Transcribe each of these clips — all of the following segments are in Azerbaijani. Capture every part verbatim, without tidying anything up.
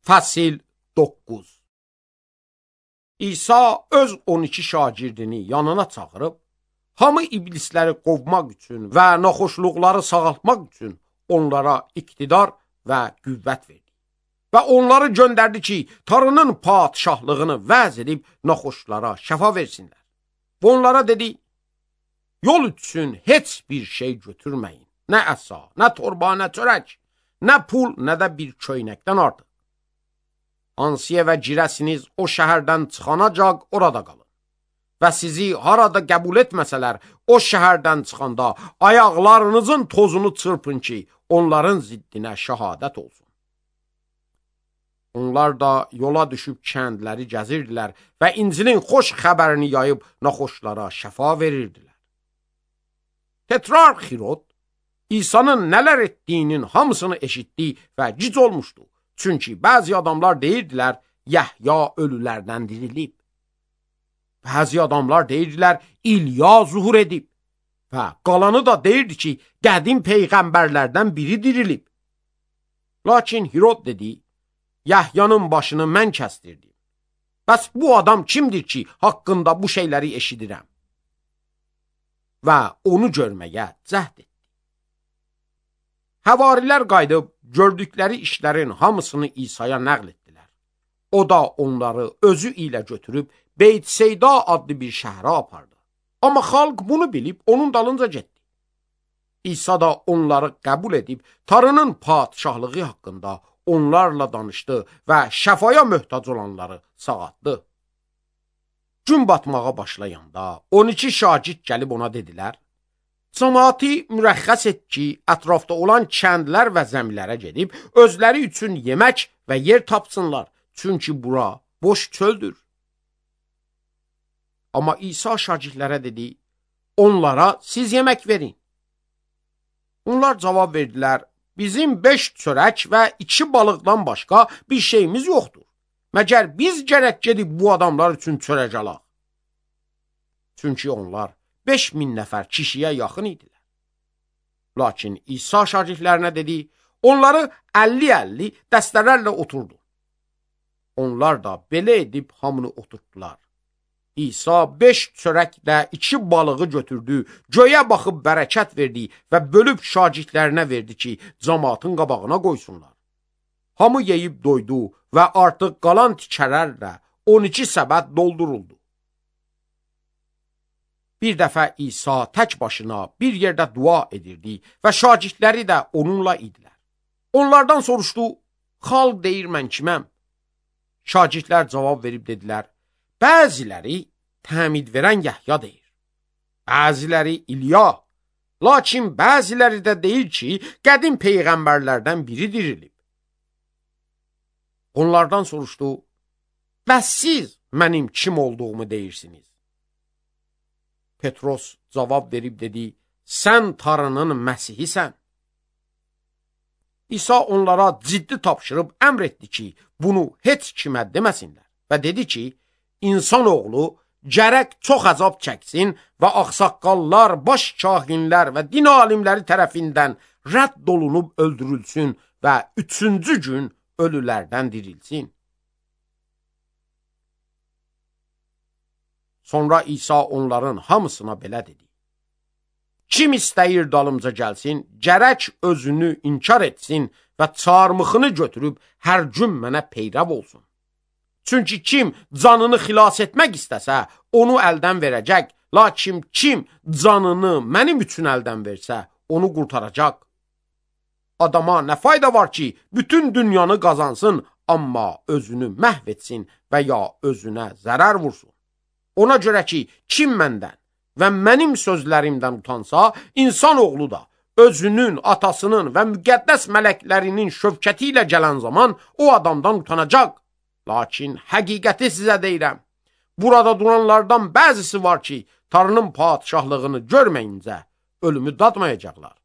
Fəsil doqquz. İsa öz on iki şagirdini yanına çağırıb, hamı iblisləri qovmaq üçün və naxoşluqları sağaltmaq üçün onlara iqtidar və qüvvət verdi. Və onları göndərdi ki, Tanrının padişahlığını vəz edib naxoşlara şəfa versinlər. Və onlara dedi, yol üçün heç bir şey götürməyin. Nə əsa, nə torba, nə çörək, nə pul, nə də bir köynəkdən artıq. Ansiyə və girəsiniz o şəhərdən çıxanacaq orada qalın. Və sizi harada qəbul etməsələr, o şəhərdən çıxanda ayaqlarınızın tozunu çırpın ki, onların ziddinə şəhadət olsun. Onlar da yola düşüb kəndləri gəzirdilər və İncilin xoş xəbərini yayıb naxoşlara şəfa verirdilər. Tetrarx Hirod İsa'nın nələr etdiyinin hamısını eşitdi və gic olmuşdu. Çünki bəzi adamlar deyirdilər, Yəhya ölülərdən dirilib. Bəzi adamlar deyirdilər, İlya zuhur edib. Və qalanı da deyirdi ki, qədim peyğəmbərlərdən biri dirilib. Lakin Hirod dedi, Yəhyanın başını mən kəstirdim. Bəs bu adam kimdir ki, haqqında bu şeyləri eşidirəm? Və onu görməyə cəhd etdi. Həvarilər qayıdıb, gördükləri işlərin hamısını İsa'ya nəql etdilər. O da onları özü ilə götürüb, Beyt-Seyda adlı bir şəhərə apardı. Amma xalq bunu bilib, onun dalınca getdi. İsa da onları qəbul edib, Tanrının padişahlığı haqqında onlarla danışdı və şəfaya möhtac olanları sağaltdı. Gün batmağa başlayanda on iki şagird gəlib ona dedilər, cəmaati mürəxxəs et ki, ətrafda olan kəndlər və zəmilərə gedib, özləri üçün yemək və yer tapsınlar, çünki bura boş çöldür. Amma İsa şagirdlərə dedi, onlara siz yemək verin. Onlar cavab verdilər, bizim beş çörək və iki balıqdan başqa bir şeyimiz yoxdur. Məgər biz gərək gedib bu adamlar üçün çörək alaq. Çünki onlar beş min nəfər kişiyə yaxın idilər. Lakin İsa şagirdlərinə dedi, onları əlli əlli dəstələrlə oturdu. Onlar da belə edib hamını oturtdular. İsa beş çörəklə iki balığı götürdü, göyə baxıb bərəkət verdi və bölüb şagirdlərinə verdi ki, cəmaatın qabağına qoysunlar. Hamı yeyib doydu və artıq qalan tikələrlə on iki səbət dolduruldu. Bir dəfə İsa tək başına bir yerdə dua edirdi və şagirdləri də onunla idilər. Onlardan soruşdu, xalq deyir mən kiməm? Şagirdlər cavab verib dedilər, bəziləri təmid verən Yəhya deyir, bəziləri İlya, lakin bəziləri də deyir ki, qədim peyğəmbərlərdən biri dirilib. Onlardan soruşdu, bəs siz mənim kim olduğumu deyirsiniz? Petros cavab verib dedi, sən Tanrının Məsihisən. İsa onlara ciddi tapşırıb əmr etdi ki, bunu heç kimə deməsinlər və dedi ki, insanoğlu gərək çox əzab çəksin və ağsaqqallar, baş kahinlər və din alimləri tərəfindən rədd olunub öldürülsün və üçüncü gün ölülərdən dirilsin. Sonra İsa onların hamısına belə dedi. Kim istəyir dalımca gəlsin, gərək özünü inkar etsin və çarmıxını götürüb hər gün mənə peyrəv olsun. Çünki kim canını xilas etmək istəsə, onu əldən verəcək, lakin kim canını mənim üçün əldən versə, onu qurtaracaq. Adama nə fayda var ki, bütün dünyanı qazansın, amma özünü məhv etsin və ya özünə zərər vursun. Ona görə ki, kim məndən və mənim sözlərimdən utansa, insanoğlu da özünün, atasının və müqəddəs mələklərinin şövkəti ilə gələn zaman o adamdan utanacaq. Lakin həqiqəti sizə deyirəm, burada duranlardan bəzisi var ki, Tanrının padişahlığını görməyincə ölümü dadmayacaqlar.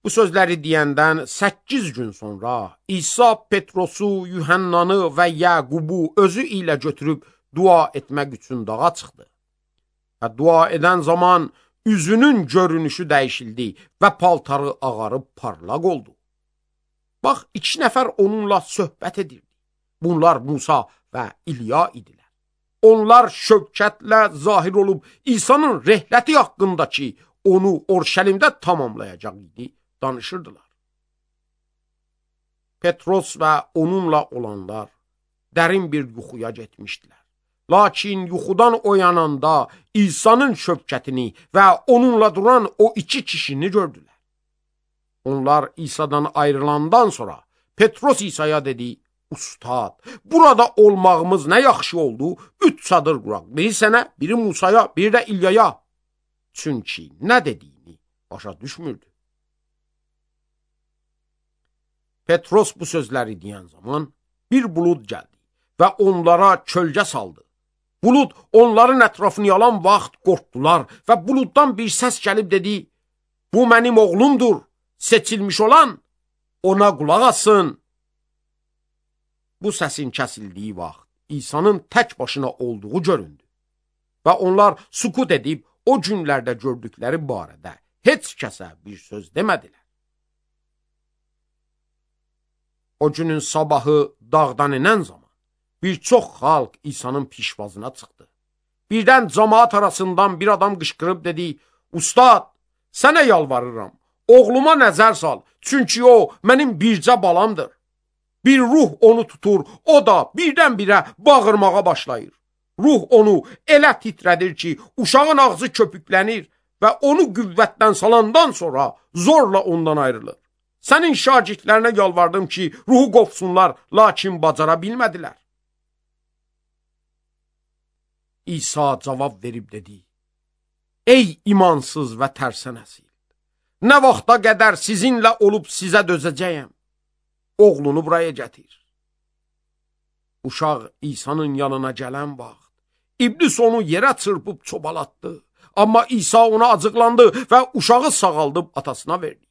Bu sözləri deyəndən səkkiz gün sonra İsa Petrosu, Yuhannanı və Yəqubu özü ilə götürüb dua etmək üçün dağa çıxdı. Və dua edən zaman üzünün görünüşü dəyişildi və paltarı ağarıb parlaq oldu. Bax, iki nəfər onunla söhbət edirdi. Bunlar Musa və İlya idilər. Onlar şövkətlə zahir olub İsa'nın rəhləti haqqındakı onu Orşəlimdə tamamlayacaq idi, danışırdılar. Petros və onunla olanlar dərin bir yuxuya getmişdilər. Lakin yuxudan oyananda İsa'nın şövkətini və onunla duran o iki kişini gördülər. Onlar İsa'dan ayrılandan sonra Petros İsa'ya dedi, Ustad, burada olmağımız nə yaxşı oldu, üç çadır quraq, biri sənə, biri Musaya, biri də İlyaya. Çünki nə dediyini başa düşmürdü. Petros bu sözləri deyən zaman bir bulud gəldi və onlara kölgə saldı. Bulud onların ətrafını yalan vaxt qorxdular və buluddan bir səs gəlib dedi, bu mənim oğlumdur, seçilmiş olan ona qulaq asın. Bu səsin kəsildiyi vaxt İsa'nın tək başına olduğu göründü və onlar sukut edib o günlərdə gördükləri barədə heç kəsə bir söz demədilər. O günün sabahı dağdan inən zaman bir çox xalq İsa'nın pişvazına çıxdı. Birdən cəmaat arasından bir adam qışqırıb dedi, Ustad, sənə yalvarıram, oğluma nəzər sal, çünki o mənim bircə balamdır. Bir ruh onu tutur, o da birdən-birə bağırmağa başlayır. Ruh onu elə titrədir ki, uşağın ağzı köpüklənir və onu qüvvətdən salandan sonra zorla ondan ayrılır. Sənin şagirdlərinə yalvardım ki, ruhu qopsunlar, lakin bacara bilmədilər. İsa cavab verib dedi, Ey imansız və tərsə nəsil, nə vaxta qədər sizinlə olub sizə dözəcəyəm? Oğlunu buraya gətir. Uşaq İsa'nın yanına gələn vaxt, İblis onu yerə çırpıb çobalatdı. Amma İsa ona acıqlandı və uşağı sağaldıb atasına verdi.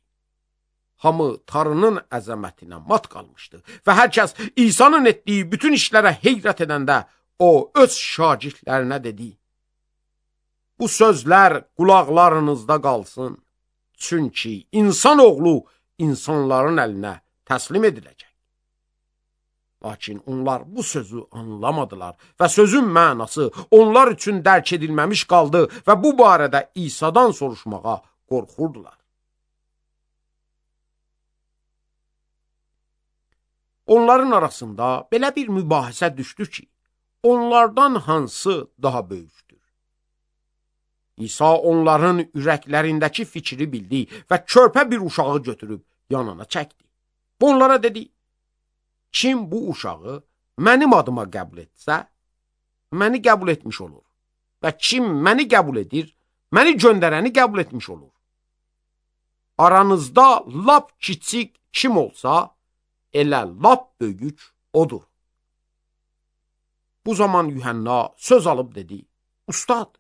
Hamı Tanrının əzəmətinə mat qalmışdı və hər kəs İsa'nın etdiyi bütün işlərə heyrət edəndə o öz şagirdlərinə dedi, bu sözlər qulaqlarınızda qalsın, çünki insan oğlu insanların əlinə təslim ediləcək. Lakin onlar bu sözü anlamadılar və sözün mənası onlar üçün dərk edilməmiş qaldı və bu barədə İsa'dan soruşmağa qorxurdular. Onların arasında belə bir mübahisə düşdü ki, onlardan hansı daha böyükdür? İsa onların ürəklərindəki fikri bildi və körpə bir uşağı götürüb yanına çəkdi. Onlara dedi, kim bu uşağı mənim adıma qəbul etsə, məni qəbul etmiş olur və kim məni qəbul edir, məni göndərəni qəbul etmiş olur. Aranızda lap kiçik kim olsa, elə lap böyük odur. Bu zaman Yuhanna söz alıb dedi, Ustad,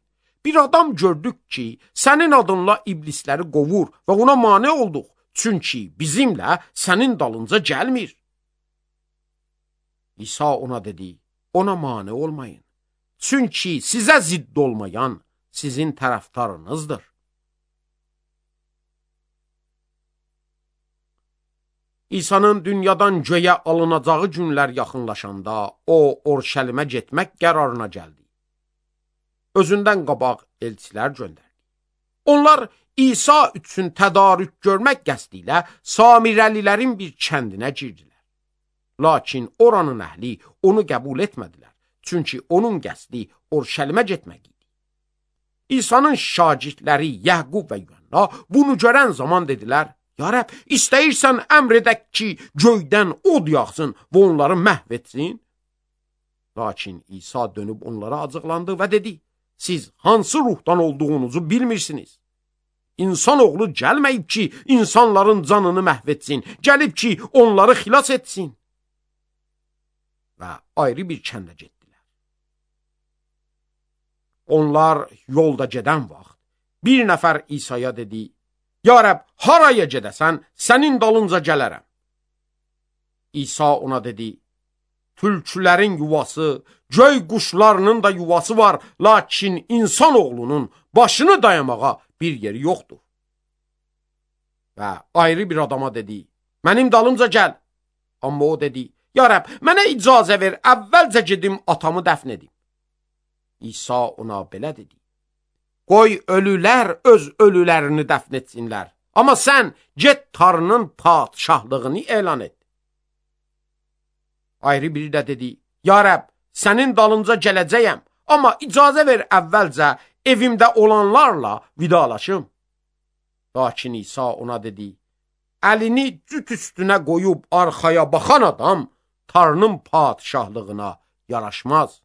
bir adam gördük ki, sənin adınla iblisləri qovur və ona mane olduq, çünki bizimlə sənin dalınca gəlmir. İsa ona dedi, ona mane olmayın, çünki sizə zidd olmayan sizin tərəfdarınızdır. İsa'nın dünyadan göyə alınacağı günlər yaxınlaşanda o Orşəlimə getmək qərarına gəldi. Özündən qabaq elçilər göndərdi. Onlar İsa üçün tədarük görmək qəsdi ilə Samirəlilərin bir kəndinə girdilər. Lakin oranın əhli onu qəbul etmədilər, çünki onun qəsdi Orşəlimə getmək idi. İsa'nın şagirdləri Yəqub və Yuhanna bunu görən zaman dedilər, Ya Rəbb, istəyirsən əmr edək ki, göydən od yağsın və onları məhv etsin? Lakin İsa dönüb onlara acıqlandı və dedi, siz hansı ruhdan olduğunuzu bilmirsiniz. İnsan oğlu gəlməyib ki, insanların canını məhv etsin, gəlib ki, onları xilas etsin. Və ayrı bir kəndə getdilər. Onlar yolda gedən vaxt, bir nəfər İsa'ya dedi, Ya Rəbb, haraya gedəsən, sənin dalınca gələrəm. İsa ona dedi, tülkülərin yuvası, göy quşlarının da yuvası var, lakin insan oğlunun başını dayamağa bir yeri yoxdur. Və ayrı bir adama dedi, mənim dalımca gəl. Amma o dedi, ya Rəbb, mənə icazə ver, əvvəlcə gedim atamı dəfn edim. İsa ona belə dedi, qoy ölülər öz ölülərini dəfn etsinlər, amma sən get Tanrının padşahlığını elan et. Ayrı biri də dedi, ya Rəbb, sənin dalınca gələcəyəm, amma icazə ver əvvəlcə evimdə olanlarla vidalaşım. Lakin İsa ona dedi, əlini cüt üstünə qoyub arxaya baxan adam Tanrının padşahlığına yaraşmaz.